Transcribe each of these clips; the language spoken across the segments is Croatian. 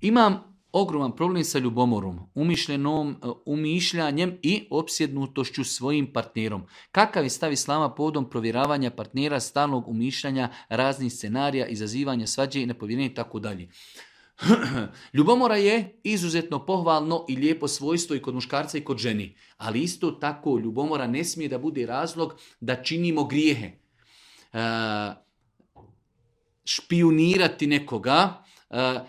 Imam ogroman problem sa ljubomorom, umišljanjem i opsjednutošću svojim partnerom. Kakav je stav islama povodom provjeravanja partnera, stalnog umišljanja, raznih scenarija, izazivanja svađe i nepovjerenja i tako dalje. Ljubomora je izuzetno pohvalno i lijepo svojstvo i kod muškarca i kod ženi. Ali isto tako ljubomora ne smije da bude razlog da činimo grijehe. Špijunirati nekoga,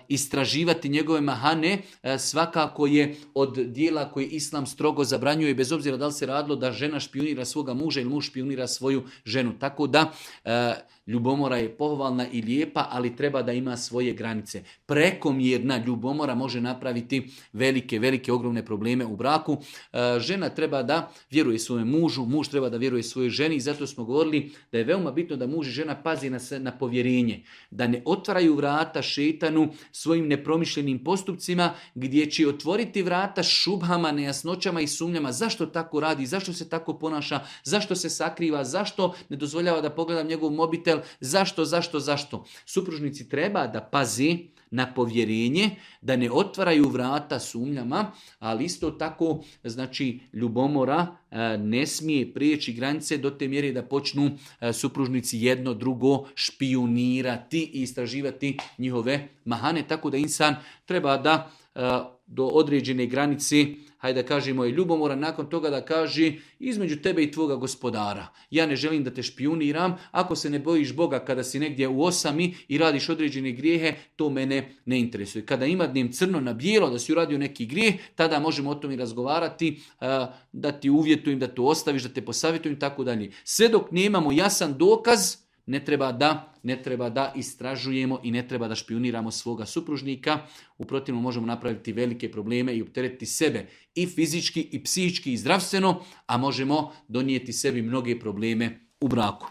istraživati njegove mahane, svakako je od dijela koje Islam strogo zabranjuje, bez obzira da li se radilo da žena špijunira svoga muža ili muž špijunira svoju ženu. Tako da ljubomora je pohvalna i lijepa, ali treba da ima svoje granice. Prekomjerna ljubomora može napraviti velike, ogromne probleme u braku. Žena treba da vjeruje svojem mužu, muž treba da vjeruje svojoj ženi i zato smo govorili da je veoma bitno da muž i žena pazi na povjerenje, da ne otvaraju vrata šejtanu svojim nepromišljenim postupcima gdje će otvoriti vrata šubhama, nejasnoćama i sumnjama. Zašto tako radi, zašto se tako ponaša, zašto se sakriva, zašto ne dozvoljava da pogledam njegov mobitel, zašto. Supružnici treba da pazi na povjerenje, da ne otvaraju vrata sumnjama, ali isto tako, znači, ljubomora ne smije prijeći granice do te mjere da počnu supružnici jedno drugo špijunirati i istraživati njihove mahane, tako da insan treba da do određene granice, hajde da kažemo, je ljubomora, nakon toga da kaže između tebe i tvoga gospodara. Ja ne želim da te špijuniram, ako se ne bojiš Boga kada si negdje u osami i radiš određene grijehe, to mene ne interesuje. Kada ima dnem crno na bijelo da si uradio neki grijeh, tada možemo o tome razgovarati, da ti uvjetujem da to ostaviš, da te posavjetujem i tako dalje. Sve dok nemamo jasan dokaz, ne treba da istražujemo i ne treba da špijuniramo svoga supružnika. U protivnom možemo napraviti velike probleme i opteretiti sebe i fizički i psihički i zdravstveno, a možemo donijeti sebi mnoge probleme u braku.